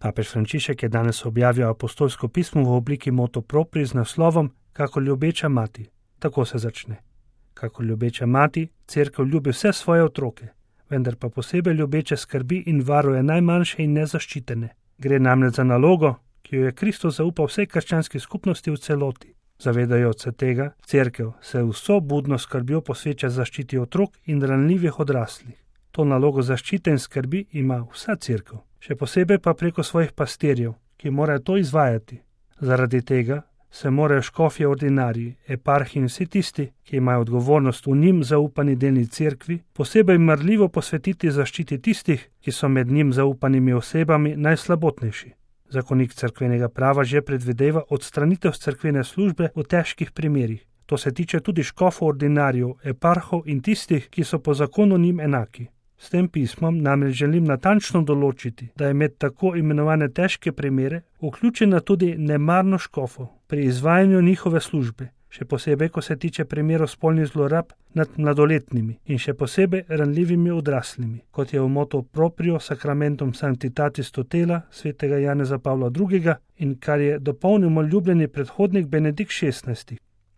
Papež Frančišek je danes objavil apostolsko pismo v obliki motu proprii z naslovom Kako ljubeča mati. Tako se začne. Kako ljubeča mati, Cerkev ljubi vse svoje otroke, vendar pa posebej ljubeče skrbi in varuje najmanjše in nezaščitene. Gre namreč za nalogo, ki jo je Kristus zaupal vsej krščanski skupnosti v celoti. Zavedajoč se tega, Cerkev se vso budno skrbjo posveča zaščiti otrok in ranljivih odraslih. To nalogo zaščite in skrbi ima vsa Cerkev, še posebej pa preko svojih pastirjev, ki morajo to izvajati. Zaradi tega se morajo škofje ordinariji, eparhi in vsi tisti, ki imajo odgovornost v njim zaupani delni Cerkvi, posebej marljivo posvetiti zaščiti tistih, ki so med njim zaupanimi osebami najslabotnejši. Zakonik cerkvenega prava že predvideva odstranitev z cerkvene službe v težkih primerih. To se tiče tudi škofov ordinarijev, eparhov in tistih, ki so po zakonu njim enaki. S tem pismom namreč želim natančno določiti, da je med tako imenovane težke primere vključena tudi nemarnost škofov pri izvajanju njihove službe, še posebej, ko se tiče primerov spolnih zlorab nad mladoletnimi in še posebej ranljivimi odraslimi, kot je v motu proprio sacramentum sanctitatis tutela svetega Janeza Pavla II. In kar je dopolnil moj ljubljeni predhodnik Benedikt XVI.